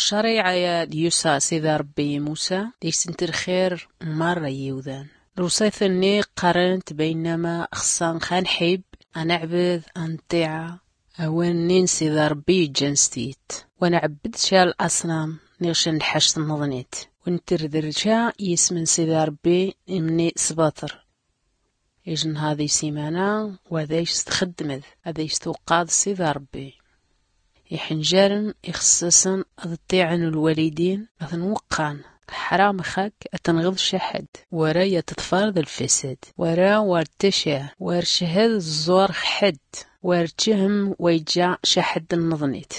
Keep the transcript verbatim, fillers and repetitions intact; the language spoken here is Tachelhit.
Ccariɛa ya d-yusa sidi ṛebbi i musa, d-isnti lxir n-marra n-yiwdan. Lwṣayt-nni qqarnt baynama xṣṣa xanḥib, anɛbd, anṭiɛa, awan-nni n-sidi ṛebbi iǧǧan s-tyit. Wa nɛbbd ca laṣnam, niɣ ca n-lḥact n-nḍnit, wa ntrder ca ism n-sidi ṛebbi imni s-baṭr. Ijnha di simana, wa d-ayc s-txddmd, ad-ayc-twqqaḍ sidi ṛebbi. Iḥnjrn ixṣṣṣn ad-ṭṭiɛn lwalidin, ad-tn-wqqan. Ḥram x-ak ad-tnɣd ca ḥdd, wara ad-tḍfrd lfasad, wara war-tcaɛr, war-chhd ẓẓur x-ḥdd, war-chhm wa iǧǧa ca ḥdd n-nḍnit.